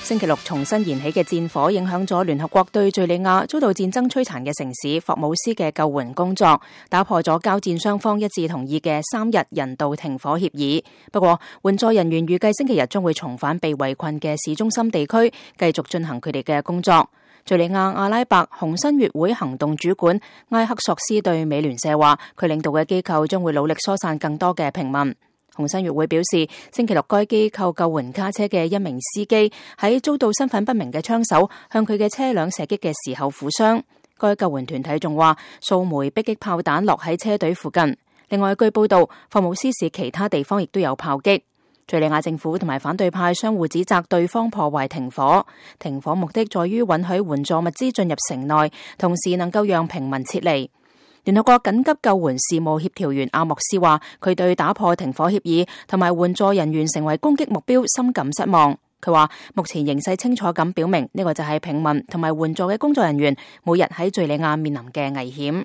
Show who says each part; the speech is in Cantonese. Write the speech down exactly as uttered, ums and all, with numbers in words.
Speaker 1: 星期六重新燃起嘅戰火影響咗聯合國對敘利亞遭到戰爭摧殘嘅城市霍姆斯嘅救援工作，打破咗交戰雙方一致同意嘅三日人道停火協議。不過，援助人員預計星期日將會重返被圍困嘅市中心地區，繼續進行佢哋嘅工作。敘利亞阿拉伯紅新月會行動主管埃克索斯對美聯社話，佢領導嘅機構將會努力疏散更多嘅平民。紅新月會表示，星期六該機構救援卡車嘅一名司機喺遭到身份不明嘅槍手向佢嘅車輛射擊嘅時候負傷。該救援團體仲話，數枚迫擊炮彈落喺車隊附近。另外，據報道，霍姆斯市其他地方亦都有炮擊。敘利亞政府同埋反對派相互指責對方破壞停火。停火目的在於允許援助物資進入城內，同時能夠讓平民撤離。聯合國緊急救援事務協調員阿莫斯話，佢對打破停火協議同埋援助人員成為攻擊目標深感失望。佢話，目前形勢清楚咁表明，呢個就係平民同埋援助嘅工作人員每日喺敘利亞面臨嘅危險。